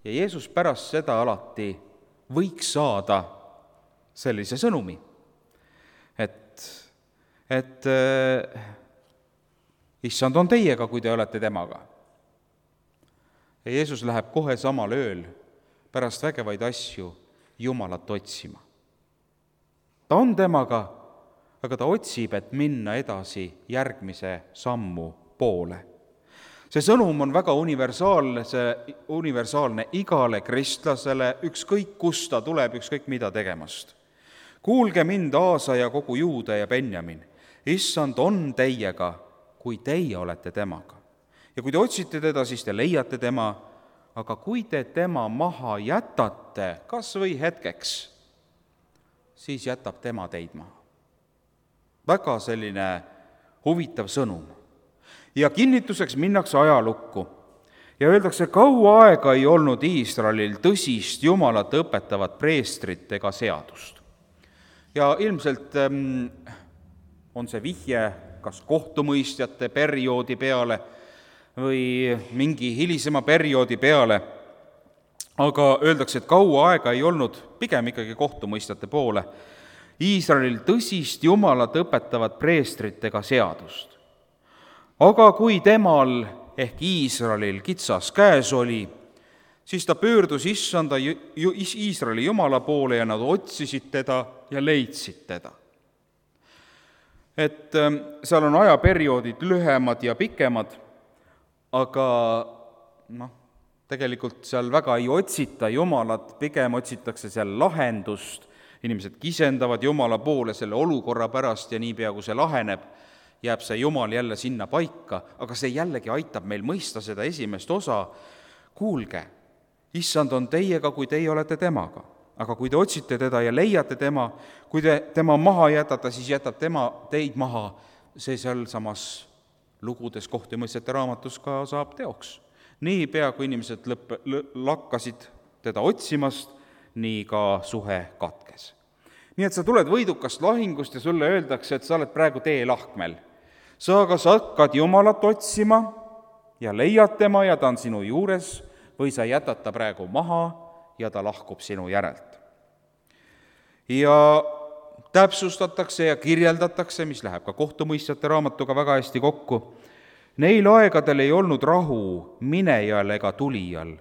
Ja Jeesus pärast seda alati võiks saada sellise sõnumi, et issand on teiega, kui te olete temaga. Ja Jeesus läheb kohe samal ööl pärast vägevaid asju Jumalat otsima. Ta on temaga, aga ta otsib, et minna edasi järgmise sammu poole. See sõnum on väga universaalne igale kristlasele, ükskõik kust ta tuleb, ükskõik mida tegemast. Kuulge mind, Aasa ja kogu Juuda ja Benjamin. Issand on teiega, kui teie olete temaga. Ja kui te otsite teda, siis te leiate tema, aga kui te tema maha jätate, kas või hetkeks, siis jätab tema teid maha. Väga selline huvitav sõnum. Ja kinnituseks minnakse ajalukku ja öeldakse, kaua aega ei olnud Iisraelil tõsist Jumalat õpetavat preestrit ega seadust. Ja ilmselt on see vihje kas kohtumõistjate perioodi peale või mingi hilisema perioodi peale, aga öeldakse, et kaua aega ei olnud, pigem ikkagi kohtumõistjate poole, Iisraelil tõsist Jumalat õpetavat preestrit ega seadust. Aga kui temal ehk Iisraelil kitsas käes oli, siis ta pöördus issanda Iisraeli Jumala poole ja nad otsisid teda ja leidsid teda. Et seal on ajaperioodid lühemad ja pikemad, aga tegelikult seal väga ei otsita Jumalat, pigem otsitakse seal lahendust, inimesed kisendavad Jumala poole selle olukorra pärast ja niipea, kui see laheneb, jääb see Jumal jälle sinna paika, aga see jällegi aitab meil mõista seda esimest osa. Kuulge, issand on teiega, kui teie olete temaga, aga kui te otsite teda ja leiate tema, kui te tema maha jätate, siis jätab tema teid maha. See seal samas lugudes kohtumõistjate raamatus ka saab teoks. Niipea, kui inimesed lakkasid teda otsimast, nii ka suhe katkes. Nii et sa tuled võidukast lahingust ja sulle öeldakse, et sa oled praegu teelahkmel. Sa kas hakkad Jumalat otsima ja leiad tema ja ta on sinu juures, või sa jätad ta praegu maha ja ta lahkub sinu järelt. Ja täpsustatakse ja kirjeldatakse, mis läheb ka kohtumõistjate raamatuga väga hästi kokku. Neil aegadel ei olnud rahu minejal ega tulijal,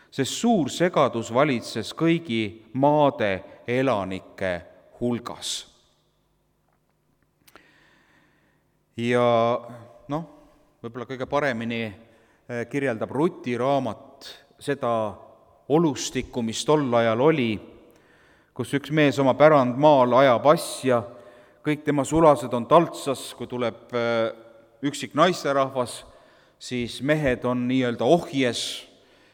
sest suur segadus valitses kõigi maade elanike hulgas. Ja võib-olla kõige paremini kirjeldab Ruti raamat seda olustikku, mis tol ajal oli, kus üks mees oma pärandmaal ajab asja, kõik tema sulased on taltsas, kui tuleb üksik naisterahvas, siis mehed on nii-öelda ohjes,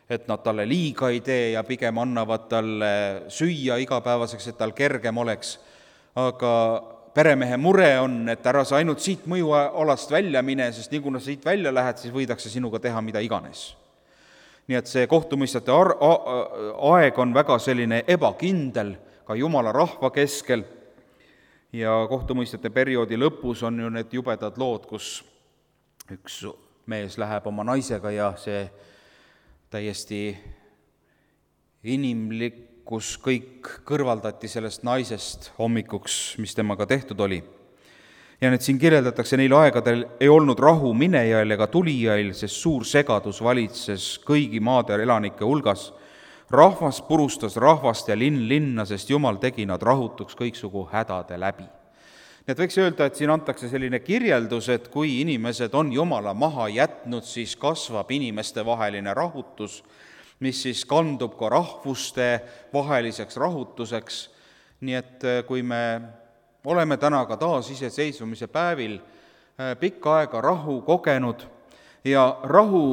et nad talle liiga ei tee ja pigem annavad talle süüa igapäevaseks, et tal kergem oleks. Aga peremehe mure on, et ära sa ainult siit mõjualast välja mine, sest nii kuna sa siit välja lähed, siis võidakse sinuga teha mida iganes. Nii et see kohtumõistjate aeg on väga selline ebakindel ka Jumala rahva keskel ja kohtumõistjate perioodi lõpus on ju need jubedad lood, kus üks mees läheb oma naisega ja see täiesti inimlikkus kõik kõrvaldati sellest naisest hommikuks, mis temaga tehtud oli. Ja nüüd siin kirjeldatakse, neil aegadel ei olnud rahu minejail ega tulijail, sest suur segadus valitses kõigi maade elanike hulgas. Rahvas purustas rahvast ja linn linna, sest Jumal tegi nad rahutuks kõiksugu hädade läbi. Nii et võiks öelda, et siin antakse selline kirjeldus, et kui inimesed on Jumala maha jätnud, siis kasvab inimeste vaheline rahutus, mis siis kandub ka rahvuste vaheliseks rahutuseks. Nii et kui me oleme täna ka taas iseseisvumise päevil pikka aega rahu kogenud ja rahu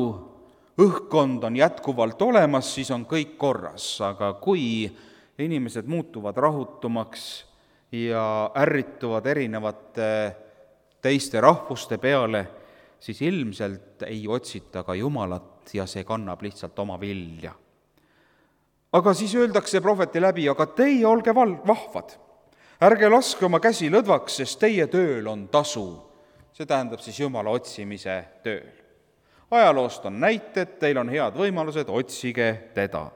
õhkkond on jätkuvalt olemas, siis on kõik korras, aga kui inimesed muutuvad rahutumaks ja ärrituvad erinevate teiste rahvuste peale, siis ilmselt ei otsita ka Jumalat ja see kannab lihtsalt oma vilja. Aga siis öeldakse prohveti läbi, aga teie olge vahvad, ärge laske oma käsi lõdvaks, sest teie tööl on tasu. See tähendab siis Jumala otsimise tööl. Ajaloost on näited, teil on head võimalused, otsige teda.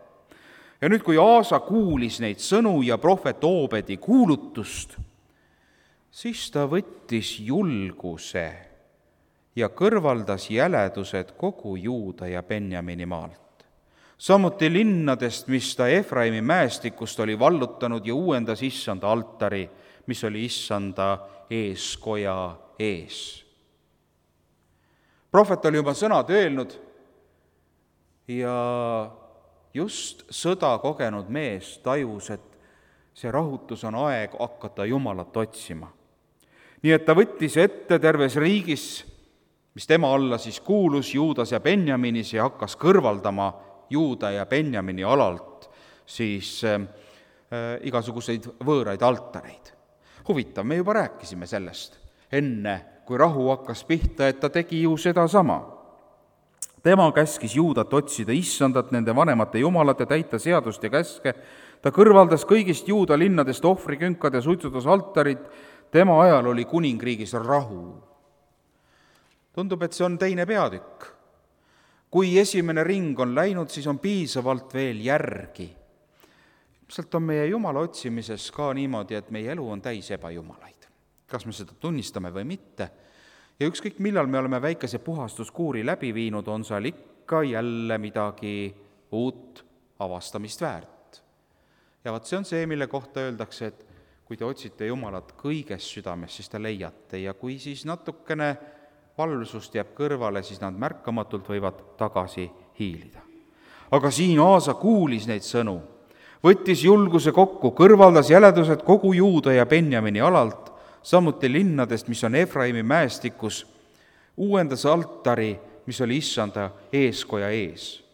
Ja nüüd, kui Aasa kuulis neid sõnu ja prohvet Oobedi kuulutust, siis ta võttis julguse ja kõrvaldas jäledused kogu Juuda ja Benjamini maalt. Samuti linnadest, mis ta Efraimi mäestikust oli vallutanud, ja uuendas issanda altari, mis oli issanda eeskoja ees. Prohvet oli juba sõnad öelnud ja just sõda kogenud mees tajus, et see rahutus on aeg hakata Jumalat otsima. Nii et ta võttis ette terves riigis, mis tema alla siis kuulus, Juudas ja Benjaminis, ja hakkas kõrvaldama Juuda ja Benjamini alalt siis igasuguseid võõraid altareid. Huvitav, me juba rääkisime sellest enne, kui rahu hakkas pihta, et ta tegi ju sedasama. Tema käskis Juudat otsida issandat, nende vanemate jumalate, täita seadust ja käske. Ta kõrvaldas kõigist Juuda linnadest ohvrikünkad ja suitsutas altarid. Tema ajal oli kuningriigis rahu. Tundub, et see on teine peatükk. Kui esimene ring on läinud, siis on piisavalt veel järgi. Ilmselt on meie Jumala otsimises ka niimoodi, et meie elu on täis ebajumalaid. Kas me seda tunnistame või mitte? Ja ükskõik millal me oleme väikese puhastuskuuri läbi viinud, on seal ikka jälle midagi uut avastamist väärt. Ja vaat see on see, mille kohta öeldakse, et kui te otsite Jumalat kõiges südames, siis te leiate, ja kui siis natukene valvsust jääb kõrvale, siis nad märkamatult võivad tagasi hiilida. Aga siin Aasa kuulis neid sõnu, võttis julguse kokku, kõrvaldas jäledused kogu Juuda ja Benjamini alalt, samuti linnadest, mis on Efraimi mäestikus, uuendas altari, mis oli issanda eeskoja ees.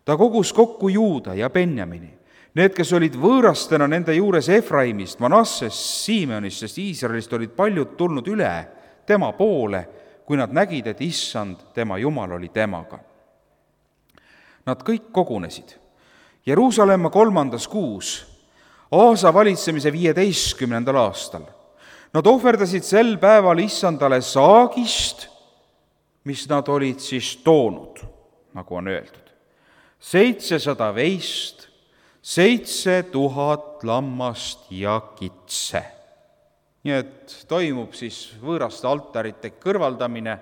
Ta kogus kokku Juuda ja Benjamini, need, kes olid võõrastena nende juures Efraimist, Manassest, Simeonist, sest Iisraelist olid paljud tulnud üle tema poole, kui nad nägid, et issand, tema Jumal, oli temaga. Nad kõik kogunesid Jeruusalemma 3. kuus, Aasa valitsemise 15. aastal. Nad ohverdasid sel päeval issandale saagist, mis nad olid siis toonud, nagu on öeldud. 700 veist, 7000 lammast ja kitse. Nii et toimub siis võõraste altarite kõrvaldamine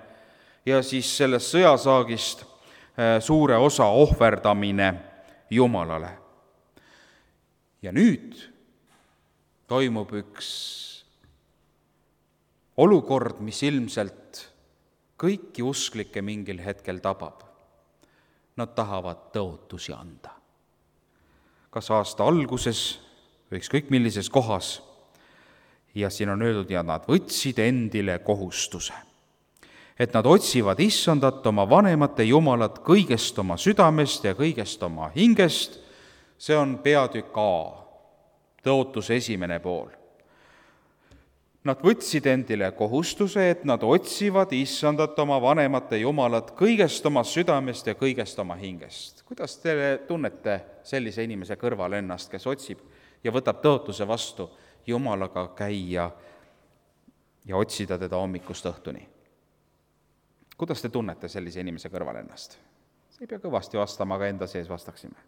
ja siis sellest sõjasaagist suure osa ohverdamine Jumalale. Ja nüüd toimub üks olukord, mis ilmselt kõiki usklikke mingil hetkel tabab. Nad tahavad tõotusi anda. Kas aasta alguses või ükskõik millises kohas. Ja siin on öeldud, ja nad võtsid endile kohustuse, et nad otsivad issandat, oma vanemate Jumalat, kõigest oma südamest ja kõigest oma hingest. See on peatükk A, tõotuse esimene pool. Nad võtsid endile kohustuse, et nad otsivad issandat, oma vanemate Jumalat, kõigest oma südamest ja kõigest oma hingest. Kuidas te tunnete sellise inimese kõrval ennast, kes otsib ja võtab tõotuse vastu Jumalaga käia ja otsida teda hommikust õhtuni? Kuidas te tunnete sellise inimese kõrval ennast? See ei pea kõvasti vastama, aga enda sees vastaksime.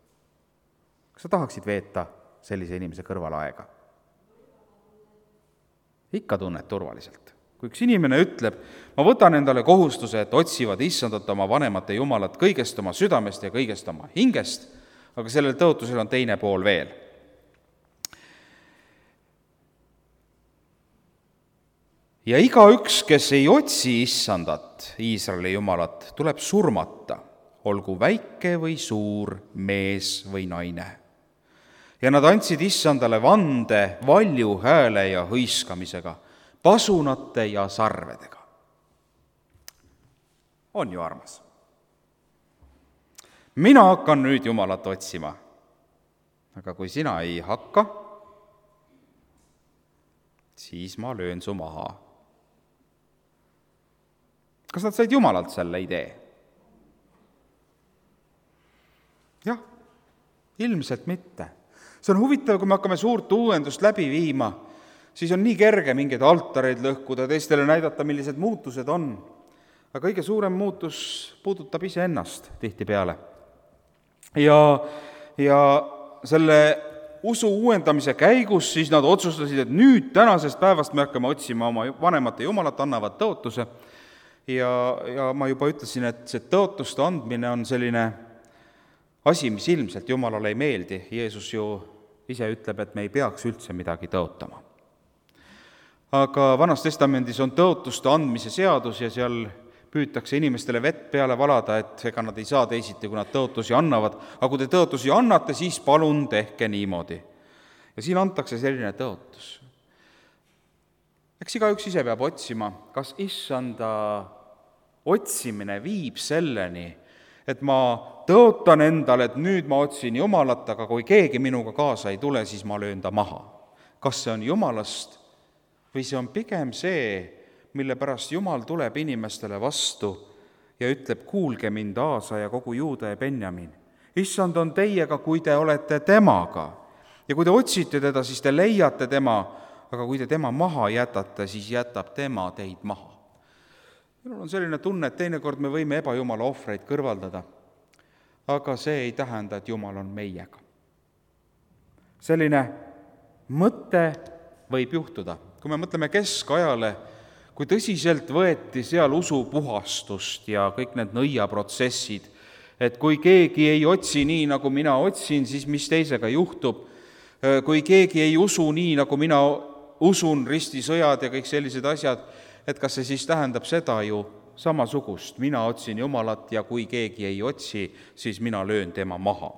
Kas sa tahaksid veeta sellise inimese kõrval aega? Ikka tunned turvaliselt. Kui üks inimene ütleb, ma võtan endale kohustuse, et otsivad issandat, oma vanemate Jumalat, kõigest oma südamest ja kõigest oma hingest, aga sellel tõotusel on teine pool veel. Ja igaüks, kes ei otsi issandat, Iisraeli Jumalat, tuleb surmata, olgu väike või suur, mees või naine. Ja nad andsid issandale vande valju hääle ja hõiskamisega, pasunate ja sarvedega. On ju armas? Mina hakkan nüüd Jumalat otsima, aga kui sina ei hakka, siis ma löön su maha. Kas nad said Jumalalt selle idee? Jah, ilmselt mitte. See on huvitav, kui me hakkame suurt uuendust läbi viima, siis on nii kerge mingeid altareid lõhkuda, teistele näidata, millised muutused on. Aga kõige suurem muutus puudutab iseennast tihtipeale. Ja selle usu uuendamise käigus siis nad otsustasid, et nüüd tänasest päevast me hakkame otsima oma vanemate jumalat, annavad tõotuse ja ma juba ütlesin, et see tõotuste andmine on selline asi, mis ilmselt Jumalale ei meeldi. Jeesus ju ise ütleb, et me ei peaks üldse midagi tõotama. Aga Vanas Testamendis on tõotuste andmise seadus ja seal püütakse inimestele vett peale valada, et ega nad ei saa teisiti, kui nad tõotusi annavad. Aga kui te tõotusi annate, siis palun tehke niimoodi. Ja siin antakse selline tõotus. Eks igaüks ise peab otsima, kas issanda otsimine viib selleni, et ma tõotan endale, et nüüd ma otsin Jumalat, aga kui keegi minuga kaasa ei tule, siis ma löön ta maha. Kas see on Jumalast või see on pigem see, mille pärast Jumal tuleb inimestele vastu ja ütleb, kuulge mind, Aasa ja kogu Juuda ja Benjamin. Issand on teiega, kui te olete temaga. Ja kui te otsite teda, siis te leiate tema, aga kui te tema maha jätate, siis jätab tema teid maha. Minul on selline tunne, et teinekord me võime ebajumala ohvreid kõrvaldada, aga see ei tähenda, et Jumal on meiega. Selline mõte võib juhtuda. Kui me mõtleme keskajale, kui tõsiselt võeti seal usupuhastust ja kõik need nõiaprotsessid, et kui keegi ei otsi nii, nagu mina otsin, siis mis teisega juhtub, kui keegi ei usu nii, nagu mina usun, ristisõjad ja kõik sellised asjad, et kas see siis tähendab seda ju samasugust, mina otsin Jumalat ja kui keegi ei otsi, siis mina löön tema maha.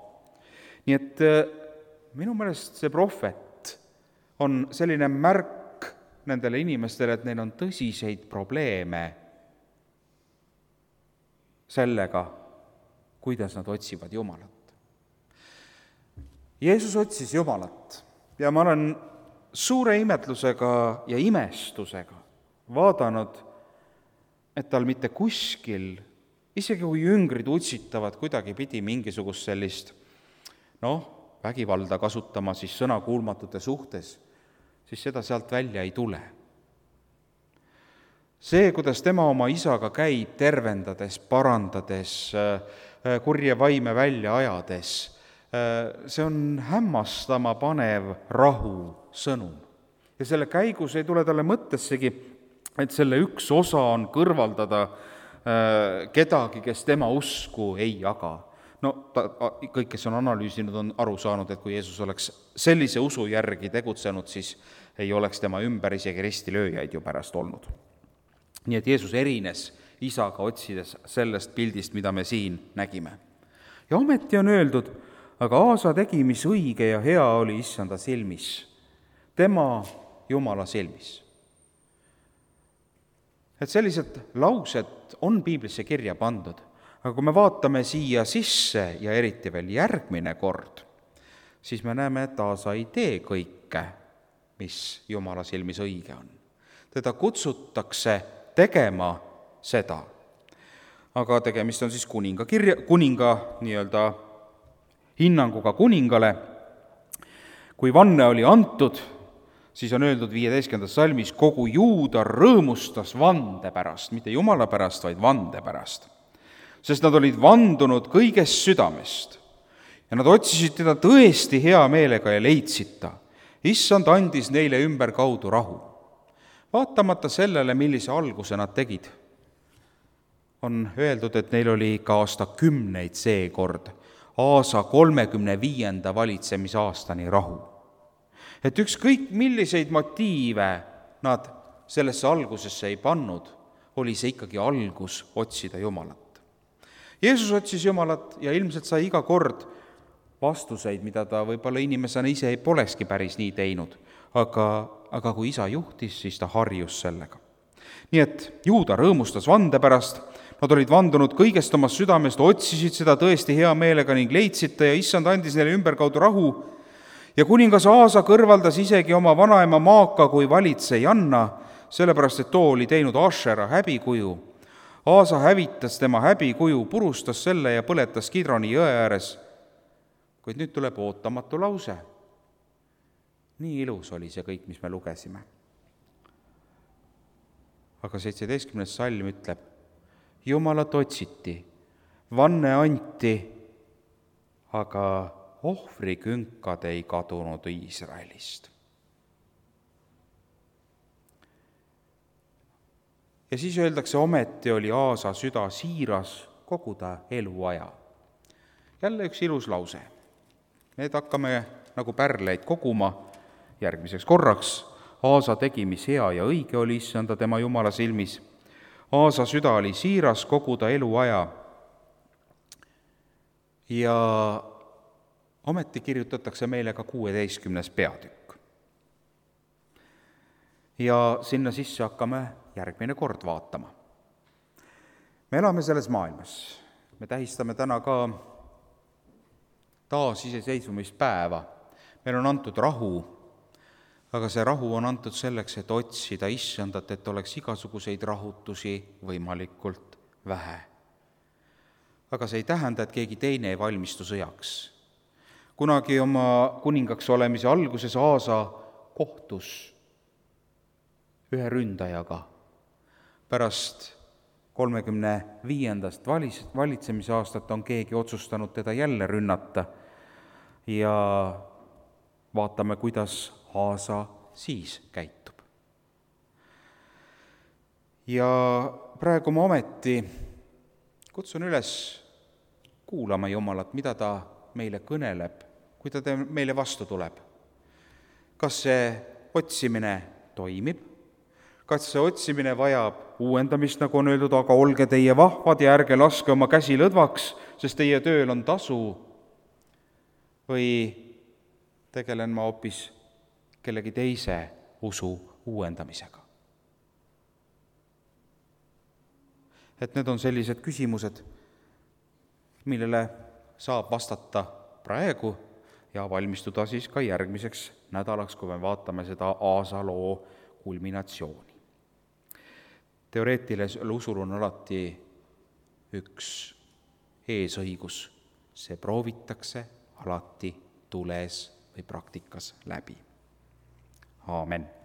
Nii et minu meelest see prohvet on selline märk nendele inimestele, et neil on tõsiseid probleeme sellega, kuidas nad otsivad Jumalat. Jeesus otsis Jumalat ja ma olen suure imetlusega ja imestusega vaadanud, et tal mitte kuskil, isegi kui jüngrid utsitavad kuidagi pidi mingisugust sellist, vägivalda kasutama siis sõnakuulmatute suhtes, siis seda sealt välja ei tule. See, kuidas tema oma isaga käib, tervendades, parandades, kurje vaime välja ajades, see on hämmastama panev rahu sõnum. Ja selle käigus ei tule talle mõttessegi, et selle üks osa on kõrvaldada kedagi, kes tema usku ei jaga. Kõik, kes on analüüsinud, on aru saanud, et kui Jeesus oleks sellise usu järgi tegutsenud, siis ei oleks tema ümber isegi ristilööjaid ju pärast olnud. Nii et Jeesus erines isaga otsides sellest pildist, mida me siin nägime. Ja ometi on öeldud, aga Aasa tegi, mis õige ja hea oli issanda silmis, tema Jumala silmis. Et sellised laused on piiblisse kirja pandud, aga kui me vaatame siia sisse ja eriti veel järgmine kord, siis me näeme, et Aasa ei tee kõike, mis Jumala silmis õige on. Teda kutsutakse tegema seda. Aga tegemist on siis kuninga nii-öelda hinnanguga kuningale. Kui vanne oli antud, siis on öeldud 15. salmis, kogu Juuda rõõmustas vande pärast, mitte Jumala pärast, vaid vande pärast. Sest nad olid vandunud kõigest südamest ja nad otsisid teda tõesti hea meelega ja leidsid ta. Issand andis neile ümberkaudu rahu. Vaatamata sellele, millise alguse nad tegid, on öeldud, et neil oli ka aastakümneid seekord, Aasa 35. valitsemisaastani rahu. Et ükskõik milliseid motiive nad sellesse algusesse ei pannud, oli see ikkagi algus otsida Jumalat. Jeesus otsis Jumalat ja ilmselt sai iga kord vastuseid, mida ta võib-olla inimesena ise ei polekski päris nii teinud, aga kui isa juhtis, siis ta harjus sellega. Nii et Juuda rõõmustas vande pärast, nad olid vandunud kõigest omast südamest, otsisid seda tõesti hea meelega ning leidsid ta ja issand andis neile ümberkaudu rahu ja kuningas Aasa kõrvaldas isegi oma vanaema Maaka kui valitsejanna, sellepärast et too oli teinud Ašera häbikuju. Aasa hävitas tema häbikuju, purustas selle ja põletas Kidroni jõe ääres. Kuid nüüd tuleb ootamatu lause. Nii ilus oli see kõik, mis me lugesime. Aga 17. salm ütleb, Jumalat otsiti, vanne anti, aga ohvrikünkad ei kadunud Iisraelist. Ja siis öeldakse, ometi oli Aasa süda siiras kogu ta eluaja. Jälle üks ilus lause. Need hakkame nagu pärleid koguma järgmiseks korraks. Aasa tegi, mis hea ja õige oli issanda tema Jumala silmis. Aasa süda oli siiras kogu ta eluaja. Ja ometi kirjutatakse meile ka 16. peatükk. Ja sinna sisse hakkame järgmine kord vaatama. Me elame selles maailmas. Me tähistame täna ka taasiseseisvumispäeva. Meil on antud rahu, aga see rahu on antud selleks, et otsida issandat, et oleks igasuguseid rahutusi võimalikult vähe. Aga see ei tähenda, et keegi teine ei valmistu sõjaks. Kunagi oma kuningaks olemise alguses Aasa kohtus ühe ründajaga. Pärast 35. valitsemise aastat on keegi otsustanud teda jälle rünnata ja vaatame, kuidas Aasa siis käitub. Ja praegu ma ometi kutsun üles kuulama Jumalat, mida ta meile kõneleb, kui ta meile vastu tuleb. Kas see otsimine toimib? Kas see otsimine vajab uuendamist, nagu on öeldud, aga olge teie vahvad ja ärge laske oma käsi lõdvaks, sest teie tööl on tasu? Või tegelen ma hoopis kellegi teise usu uuendamisega? Et need on sellised küsimused, millele saab vastata praegu ja valmistuda siis ka järgmiseks nädalaks, kui me vaatame seda Aasa loo kulminatsiooni. Teoreetilisel usul on alati üks eesõigus. See proovitakse alati tules või praktikas läbi. Aamen.